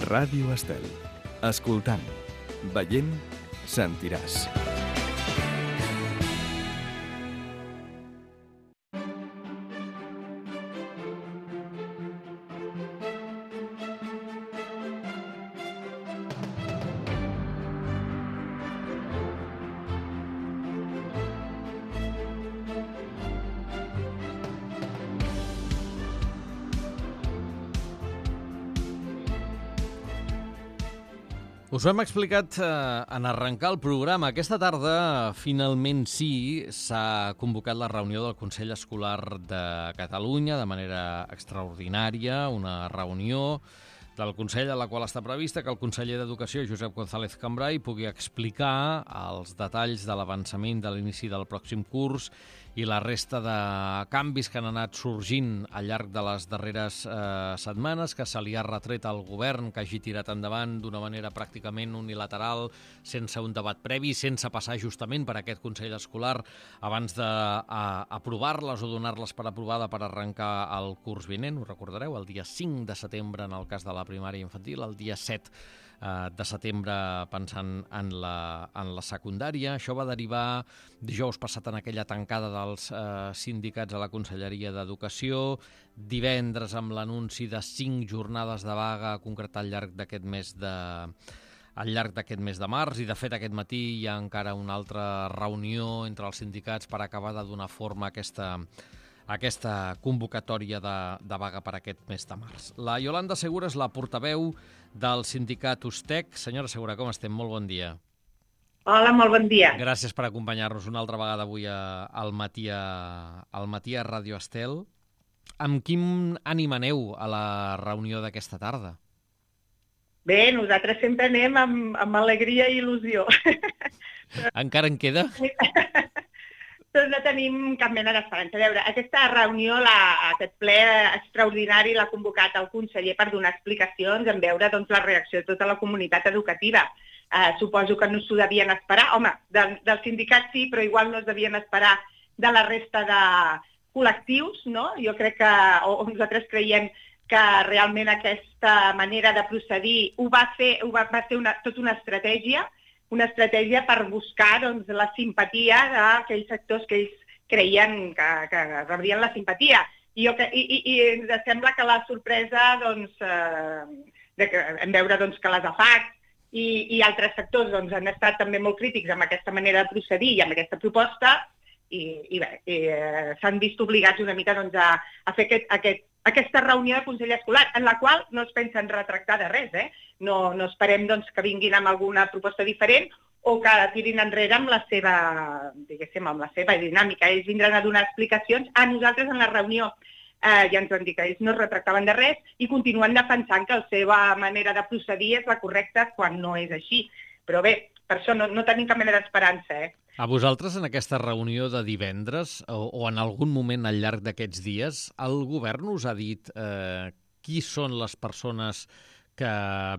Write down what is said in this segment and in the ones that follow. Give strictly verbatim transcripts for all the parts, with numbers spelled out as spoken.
Ràdio Estel. Escoltant, veient, sentiràs. Us ho hem explicat eh, en arrencar el programa. Aquesta tarda, finalment sí, s'ha convocat la reunió del Consell Escolar de Catalunya de manera extraordinària, una reunió del Consell a la qual està prevista que el conseller d'Educació, Josep González Cambray, pugui explicar els detalls de l'avançament de l'inici del pròxim curs i la resta de canvis que han anat sorgint al llarg de les darreres eh, setmanes, que se li ha retret al govern que hagi tirat endavant d'una manera pràcticament unilateral, sense un debat previ, sense passar justament per aquest Consell Escolar abans d'aprovar-les o donar-les per aprovada per arrencar el curs vinent. Ho recordareu, el dia cinc de setembre en el cas de la primària infantil, el dia set de setembre pensant en la, en la secundària. Això va derivar dijous passat en aquella tancada dels eh, sindicats a la Conselleria d'Educació, divendres amb l'anunci de cinc jornades de vaga a concretar al llarg d'aquest mes de al llarg d'aquest mes de març, i de fet aquest matí hi ha encara una altra reunió entre els sindicats per acabar de donar forma a aquesta aquesta convocatòria de, de vaga per aquest mes de març. La Iolanda Segura és la portaveu del sindicat USTEC. Senyora Segura, com estem? Molt bon dia. Hola, molt bon dia. Gràcies per acompanyar-nos una altra vegada avui a, al, matí a, al matí a Ràdio Estel. Amb quin ànim aneu a la reunió d'aquesta tarda? Bé, nosaltres sempre anem amb, amb alegria i il·lusió. Encara en queda? Doncs no tenim cap mena d'esperança. A veure, aquesta reunió, la, aquest ple extraordinari l'ha convocat el conseller per donar explicacions, en veure doncs, la reacció de tota la comunitat educativa. Eh, suposo que no s'ho devien esperar. Home, del, del sindicat sí, però igual no es devien esperar de la resta de col·lectius, no? Jo crec que, o, o nosaltres creiem que realment aquesta manera de procedir ho va fer, ho va, va ser una, tota una estratègia, una estratègia per buscar doncs, la simpatia d'aquells sectors que ells creien que, que rebrien la simpatia. I, jo, i, i, i ens sembla que la sorpresa doncs, eh, de que, en veure doncs, que les A F A C i, i altres sectors doncs, han estat també molt crítics amb aquesta manera de procedir i amb aquesta proposta, i, i bé, i, eh, s'han vist obligats una mica doncs, a, a fer aquest, aquest, aquesta reunió de Consell Escolar, en la qual no es pensen retractar de res, eh? No, no esperem doncs, que vinguin amb alguna proposta diferent o que tirin enrere amb la seva, diguéssim, amb la seva dinàmica. Ells vindran a donar explicacions. A nosaltres en la reunió eh, ja ens van dir que ells no es retractaven de res i continuen defensant que la seva manera de procedir és la correcta quan no és així. Però bé, per això no, no tenim cap mena d'esperança, eh? A vosaltres, en aquesta reunió de divendres, o, o en algun moment al llarg d'aquests dies, el govern us ha dit eh, qui són les persones que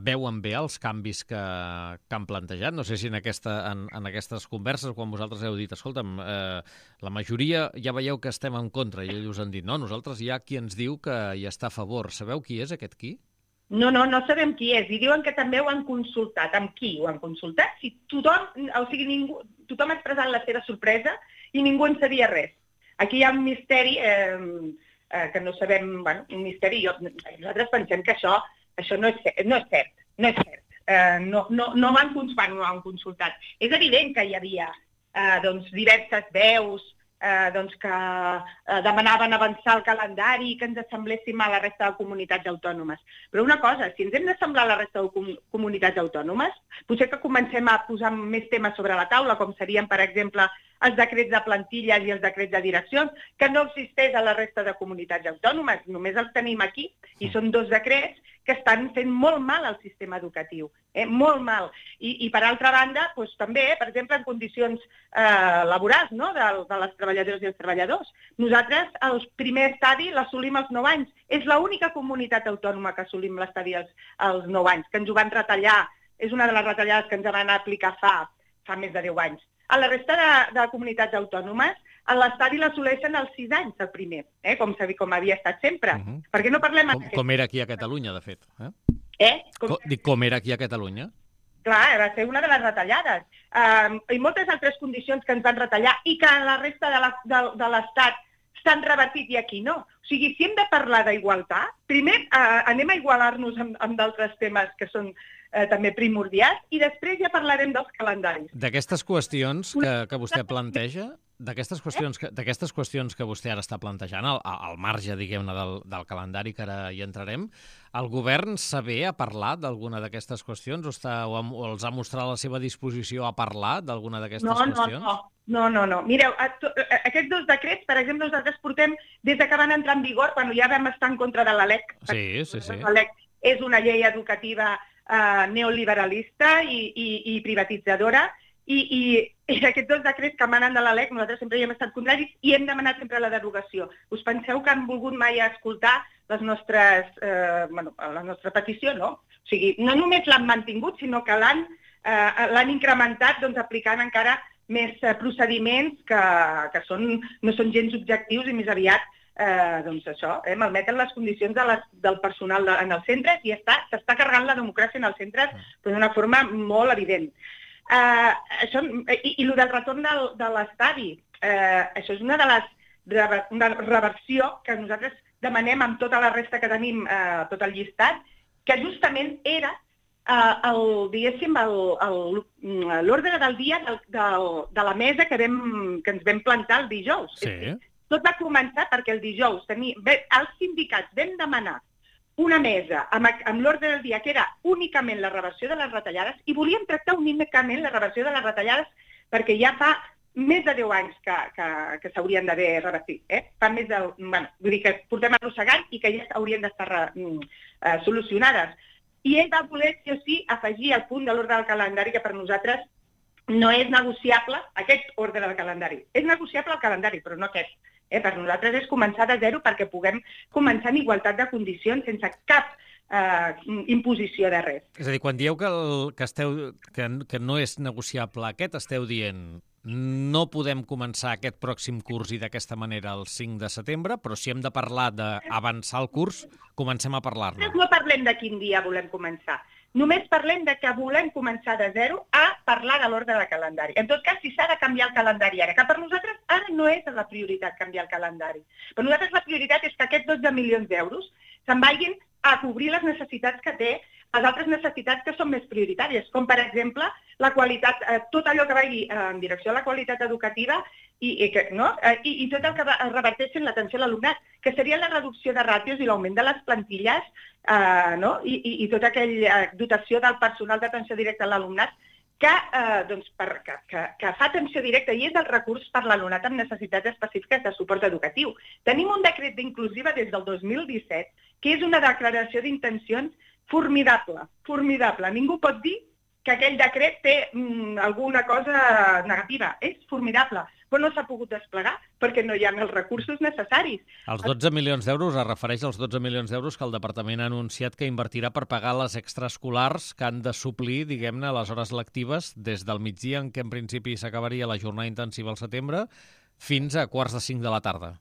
veuen bé els canvis que, que han plantejat? No sé si en, aquesta, en, en aquestes converses, quan vosaltres heu dit, escolta'm, eh, la majoria ja veieu que estem en contra, i ells us han dit, no, nosaltres hi ha qui ens diu que hi està a favor. Sabeu qui és aquest qui? No, no, no sabem qui és. I diuen que també ho han consultat. Amb qui ho han consultat? Si tothom, o sigui, ningú, tothom ha expressat la seva sorpresa i ningú en sabia res. Aquí hi ha un misteri eh, eh, que no sabem, bueno, un misteri. Jo, nosaltres pensem que això, això no és, no és cert, no és cert. Eh, no, no, no van, van, no han consultat. És evident que hi havia eh, doncs, diverses veus Eh, doncs que eh, demanaven avançar el calendari i que ens assembléssim a la resta de comunitats autònomes. Però una cosa, si ens hem d'assemblar a la resta de com comunitats autònomes, potser que comencem a posar més temes sobre la taula, com serien, per exemple, els decrets de plantilles i els decrets de direccions, que no existeix a la resta de comunitats autònomes, només els tenim aquí, i són dos decrets que estan fent molt mal al sistema educatiu, eh? molt mal. I, i per altra banda, doncs, també, per exemple, en condicions eh, laborals, no? de, de les treballadores i els treballadors. Nosaltres, el primer estadi l'assolim als nou anys. És l'única comunitat autònoma que assolim l'estadi als, als nou anys, que ens ho van retallar. És una de les retallades que ens van aplicar fa, fa més de deu anys. A la resta de, de comunitats autònomes, l'estadi l'assoleixen als sis anys, el primer, eh? com, com havia estat sempre. Uh-huh. Per què no parlem... Com, com era aquí a Catalunya, de fet. Eh? Eh? Com, dic, com era aquí a Catalunya? Clar, va ser una de les retallades. Um, I moltes altres condicions que ens van retallar i que a la resta de la- de, de l'Estat s'han revertit i aquí no. O sigui, si hem de parlar d'igualtat, primer uh, anem a igualar-nos amb, amb d'altres temes que són uh, també primordials i després ja parlarem dels calendaris. D'aquestes qüestions que, que vostè planteja, d'aquestes qüestions, que, d'aquestes qüestions que vostè ara està plantejant, al, al marge, diguem-ne, del, del calendari, que ara hi entrarem, el govern saber ha parlat d'alguna d'aquestes qüestions o, està, o, ha, o els ha mostrat la seva disposició a parlar d'alguna d'aquestes no, qüestions? No, no, no, no. Mireu, a, to, a, aquests dos decrets, per exemple, nosaltres portem des que van entrar en vigor, quan ja vam estar en contra de la L E C. Sí, sí, sí. La L E C és una llei educativa eh, neoliberalista i, i, i privatitzadora, i, i, i aquests dos decrets que emanen de la L E C nosaltres sempre hi hem estat contraris i hem demanat sempre la derogació. Us penseu que han volgut mai escoltar les nostres, eh, bueno, la nostra petició? No. O sigui, no només l'han mantingut, sinó que l'han eh, l'han incrementat doncs, aplicant encara més eh, procediments que, que són, no són gens objectius i més aviat eh, doncs això, eh, malmeten les condicions de les, del personal de, en els centres i està, s'està carregant la democràcia en els centres però d'una forma molt evident. Uh, això, i, i el del retorn del, de l'estadi, uh, això és una de les una reversió que nosaltres demanem amb tota la resta que tenim, uh, tot el llistat, que justament era uh, el, diguéssim, l'ordre del dia del, del, de la mesa que, vam, que ens vam plantar el dijous. Sí. Tot va començar perquè el dijous tenia, els sindicats vam demanar una mesa amb, amb l'ordre del dia que era únicament la reversió de les retallades i volíem tractar únicament la reversió de les retallades perquè ja fa més de deu anys que, que, que s'haurien d'haver revertit. Eh? Fa més de, bueno, vull dir que portem arrossegant i que ja haurien d'estar uh, solucionades. I ell va voler, sí o sí, afegir el punt de l'ordre del calendari que per nosaltres no és negociable, aquest ordre del calendari. És negociable el calendari, però no aquest. Eh, per nosaltres és començar de zero perquè puguem començar en igualtat de condicions sense cap eh, imposició de res. És a dir, quan dieu que, el, que, esteu, que, que no és negociable aquest, esteu dient no podem començar aquest pròxim curs i d'aquesta manera el cinc de setembre, però si hem de parlar d'avançar el curs, comencem a parlar-ne. No parlem de quin dia volem començar. Només parlem de que volem començar de zero a parlar de l'ordre del calendari. En tot cas, si s'ha de canviar el calendari ara, que per nosaltres ara no és la prioritat canviar el calendari. Per nosaltres la prioritat és que aquests dotze milions d'euros se'n vagin a cobrir les necessitats que té, les altres necessitats que són més prioritàries, com per exemple la qualitat, eh, tot allò que vagi en direcció a la qualitat educativa i, i, que, no? eh, i, i tot el que reverteixi en l'atenció a l'alumnat, que seria la reducció de ràtios i l'augment de les plantilles eh, no? I, i, i tota aquella dotació del personal d'atenció directa a l'alumnat que, eh, doncs, per, que, que, que fa atenció directa i és el recurs per l'alumnat amb necessitats específiques de suport educatiu. Tenim un decret d'inclusiva des del dos mil disset que és una declaració d'intencions formidable, formidable. Ningú pot dir que aquell decret té mm, alguna cosa negativa. És formidable, però no s'ha pogut desplegar perquè no hi ha els recursos necessaris. Els dotze milions d'euros es refereix als dotze milions d'euros que el Departament ha anunciat que invertirà per pagar les extraescolars que han de suplir, diguem-ne, les hores lectives des del migdia, en què en principi s'acabaria la jornada intensiva al setembre, fins a quarts de cinc de la tarda.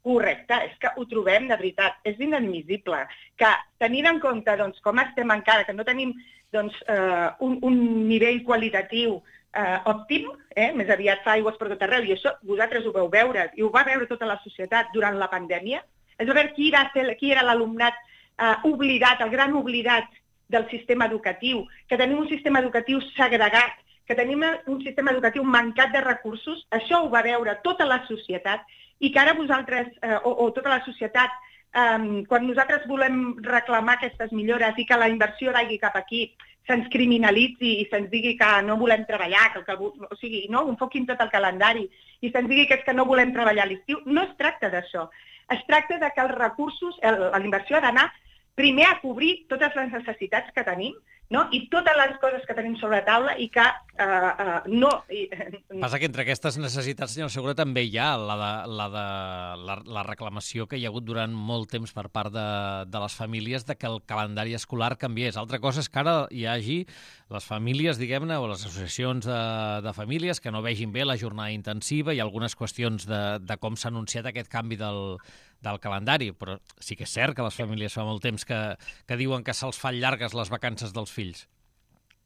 Correcte, és que ho trobem de veritat, és inadmissible que tenint en compte doncs, com estem encara, que no tenim doncs, eh, un, un nivell qualitatiu eh, òptim, eh, més aviat fa aigües per tot arreu, i això vosaltres ho veu veure, i ho va veure tota la societat durant la pandèmia, és a veure qui, va ser, qui era l'alumnat eh, oblidat, el gran oblidat del sistema educatiu, que tenim un sistema educatiu segregat, que tenim un sistema educatiu mancat de recursos, això ho va veure tota la societat, i que ara vosaltres, eh, o, o tota la societat, eh, quan nosaltres volem reclamar aquestes millores i que la inversió vagi cap aquí, se'ns criminalitzi i se'ns digui que no volem treballar, que, que, o sigui, no, enfoquin tot el calendari i se'ns digui que és que no volem treballar a l'estiu, no es tracta d'això. Es tracta de que els recursos, la inversió ha d'anar primer a cobrir totes les necessitats que tenim, no? I totes les coses que tenim sobre la taula i que uh, uh, no... Passa que entre aquestes necessitats, senyor Segura, també hi ha la, de, la, de, la, la reclamació que hi ha hagut durant molt temps per part de, de les famílies de que el calendari escolar canviés. Altra cosa és que ara hi hagi les famílies, diguem-ne, o les associacions de, de famílies que no vegin bé la jornada intensiva i algunes qüestions de, de com s'ha anunciat aquest canvi del, del calendari, però sí que és cert que les famílies fa molt temps que, que diuen que se'ls fan llargues les vacances dels fills.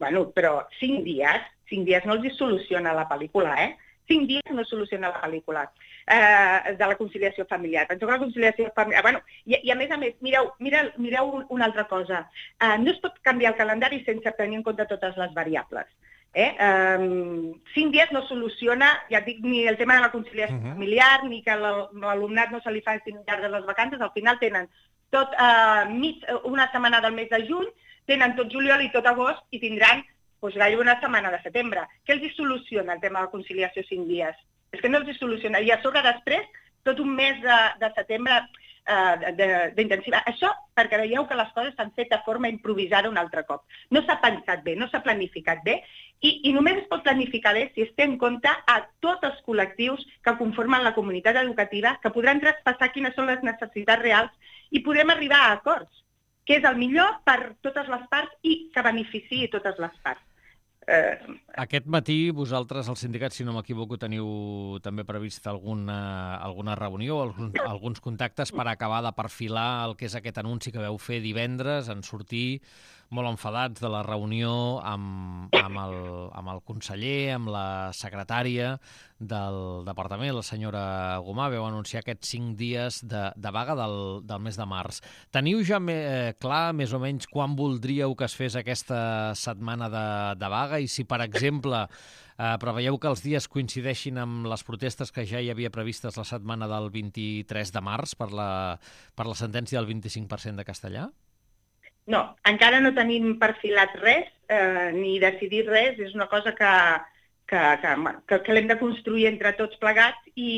Bueno, però cinc dies, cinc dies no els hi soluciona la pel·lícula, eh? Cinc dies no soluciona la pel·lícula eh, de la conciliació familiar. Penso que la conciliació familiar... Bueno, i, i a més a més, mireu, mireu, mireu una altra cosa. Eh, no es pot canviar el calendari sense tenir en compte totes les variables. Eh? Um, cinc dies no soluciona, ja dic, ni el tema de la conciliació uh-huh. familiar, ni que l'alumnat no se li facin llargues les vacances. Al final tenen tot uh, mig, una setmana del mes de juny, tenen tot juliol i tot agost i tindran doncs, gairebé una setmana de setembre. Què els hi soluciona el tema de la conciliació cinc dies? És que no els hi soluciona. I a sobre després, tot un mes de, de setembre eh, d'intensiva. Això perquè veieu que les coses s'han fet de forma improvisada un altre cop. No s'ha pensat bé, no s'ha planificat bé, i, i només es pot planificar bé si es té en compte a tots els col·lectius que conformen la comunitat educativa, que podran traspassar quines són les necessitats reals i podrem arribar a acords, que és el millor per totes les parts i que beneficiï totes les parts. Eh... Aquest matí vosaltres, els sindicats, si no m'equivoco, teniu també previst alguna, alguna reunió, alguns, alguns contactes per acabar de perfilar el que és aquest anunci que vau fer divendres, en sortir molt enfadats de la reunió amb, amb, el, amb el conseller, amb la secretària del departament, la senyora Gomà. Vau anunciar aquests cinc dies de, de vaga del, del mes de març. Teniu ja eh, clar més o menys quan voldríeu que es fes aquesta setmana de, de vaga i si, per exemple, eh, preveieu que els dies coincideixin amb les protestes que ja hi havia previstes la setmana del vint-i-tres de març per la, per la sentència del vint-i-cinc per cent de castellà? No, encara no tenim perfilat res, eh, ni decidit res. És una cosa que, que, que, que l'hem de construir entre tots plegats i,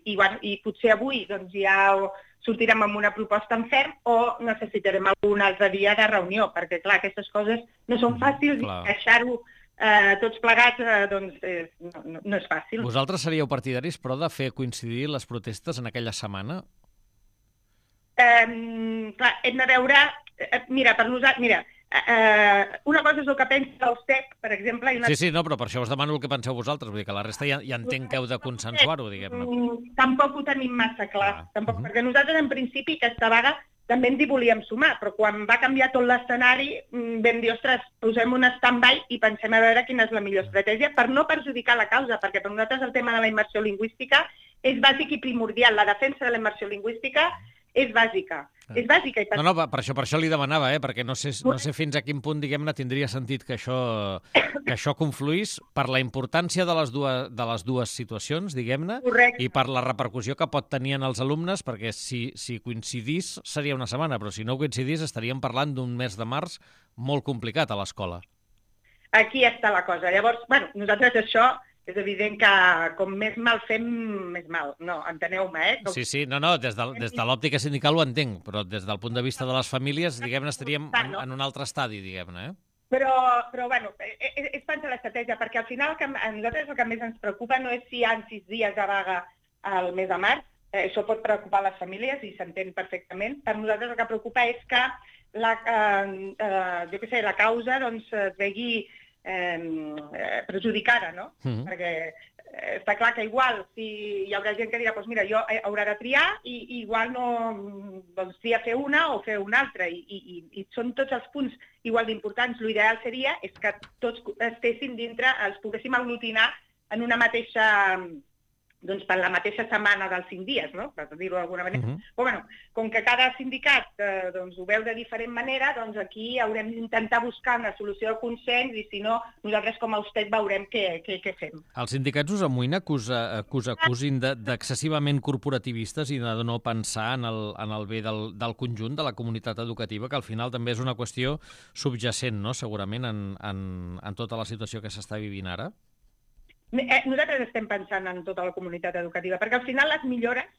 i, bueno, i potser avui doncs, ja sortirem amb una proposta en ferm o necessitarem algun altre dia de reunió, perquè clar, aquestes coses no són fàcils i deixar-ho eh, tots plegats eh, doncs, eh, no, no, no és fàcil. Vosaltres seríeu partidaris, però, de fer coincidir les protestes en aquella setmana? Eh, clar, hem de veure... Mira, per nosaltres, mira, eh, una cosa és el que pensa el S E C, per exemple... I una... Sí, sí, no, però per això us demano el que penseu vosaltres, vull dir que la resta ja, ja entenc que heu de consensuar-ho, diguem-ne. Tampoc ho tenim massa clar, ah. tampoc, uh-huh. perquè nosaltres en principi aquesta vaga també ens hi volíem sumar, però quan va canviar tot l'escenari vam dir, ostres, posem un stand-by i pensem a veure quina és la millor estratègia per no perjudicar la causa, perquè per nosaltres el tema de la immersió lingüística és bàsic i primordial, la defensa de la immersió lingüística és bàsica. Ah. És bàsica. I per... No, no, per això, per això li demanava, eh? perquè no sé, no sé fins a quin punt, diguem-ne, tindria sentit que això, que això confluís per la importància de les dues, de les dues situacions, diguem-ne, i per la repercussió que pot tenir en els alumnes, perquè si, si coincidís seria una setmana, però si no coincidís estaríem parlant d'un mes de març molt complicat a l'escola. Aquí està la cosa. Llavors, bueno, nosaltres això... És evident que com més mal fem, més mal. No, enteneu-me, eh? Com... Sí, sí, no, no, des de, des de l'òptica sindical ho entenc, però des del punt de vista de les famílies, diguem-ne, estaríem en, en un altre estadi, diguem-ne, eh? Però, però bueno, és, és pensar l'estratègia, perquè al final que a nosaltres el que més ens preocupa no és si hi ha sis dies de vaga al mes de març, eh, això pot preocupar les famílies i s'entén perfectament. Per nosaltres el que preocupa és que la, eh, eh, jo què sé, la causa doncs, es vegi Eh, perjudicada, no? Uh-huh. Perquè eh, està clar que igual si hi haurà gent que dirà doncs mira, jo haurà de triar i, i igual no doncs tria fer una o fer una altra i, i, i són tots els punts igual d'importants. L'ideal seria és que tots estessin dintre, els poguéssim aglutinar en una mateixa doncs per la mateixa setmana dels cinc dies, no? Per dir-ho d'alguna manera. Uh-huh. Però, bueno, com que cada sindicat eh, doncs, ho veu de diferent manera, doncs aquí haurem d'intentar buscar una solució de consens i, si no, nosaltres com a U S T E C veurem què, què, què fem. Els sindicats us amoïna que us, que us acusin d'excessivament corporativistes i de no pensar en el, en el bé del, del conjunt de la comunitat educativa, que al final també és una qüestió subjacent, no?, segurament, en, en, en tota la situació que s'està vivint ara? Nosaltres estem pensant en tota la comunitat educativa, perquè al final les millores